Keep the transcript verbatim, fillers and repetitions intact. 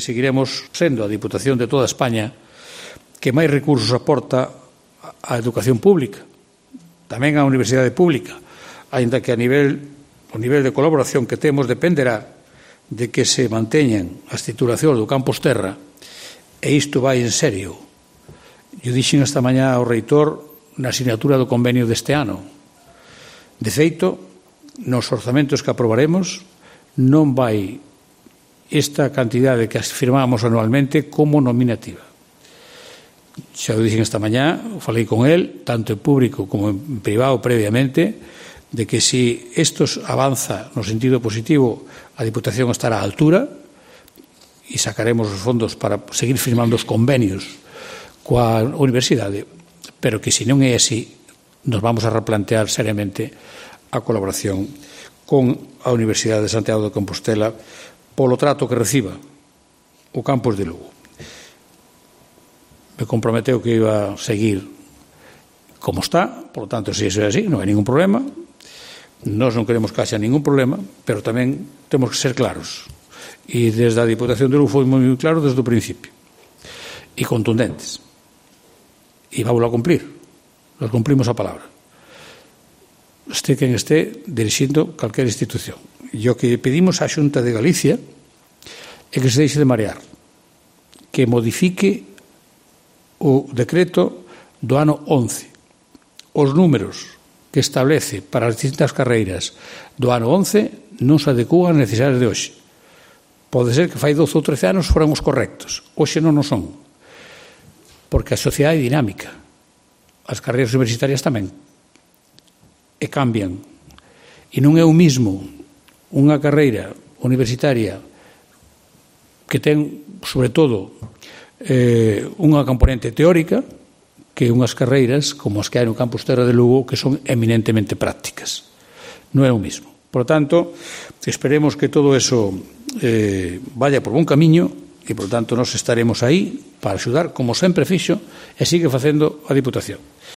Seguiremos sendo a Diputación de toda España que máis recursos aporta á educación pública, tamén á universidade pública, aínda que a nivel, o nivel de colaboración que temos dependerá de que se manteñan as titulacións do campus Terra, e isto vai en serio. Eu dixen esta mañá ao reitor na asignatura do convenio deste ano. De feito, nos orzamentos que aprobaremos non vai esta cantidade que firmamos anualmente como nominativa. Xa o dixen esta mañá, falei con el, tanto en público como en privado previamente, de que si isto avanza no sentido positivo, a Diputación estará á altura e sacaremos os fondos para seguir firmando os convenios coa universidade, pero que se non é así, nos vamos a replantear seriamente a colaboración con a Universidade de Santiago de Compostela polo trato que reciba o campus de Lugo. Me comprometeu que iba a seguir como está, por lo tanto, se iso é así, non hai ningún problema. Nós non queremos que haxa ningún problema, pero tamén temos que ser claros. E desde a Diputación de Lugo foi moi claro desde o principio. E contundentes. E vamos a cumplir. Nos cumplimos a palabra. Este quen este dirixindo calquera institución. E o que pedimos á Xunta de Galicia é que se deixe de marear, que modifique o decreto do ano once. Os números que establece para as distintas carreiras do ano once non se adecúan ás necesidades de hoxe. Pode ser que fai doce ou trece anos foran os correctos. Hoxe non o son. Porque a sociedade é dinámica. As carreiras universitarias tamén. E cambian. E non é o mismo unha carreira universitaria que ten, sobre todo, eh, unha componente teórica que unhas carreiras como as que hai no campus Terra de Lugo que son eminentemente prácticas. Non é o mismo. Por tanto, esperemos que todo eso eh, vaya por bon camiño e, por tanto, nós estaremos aí para axudar, como sempre fixo, e sigue facendo a Diputación.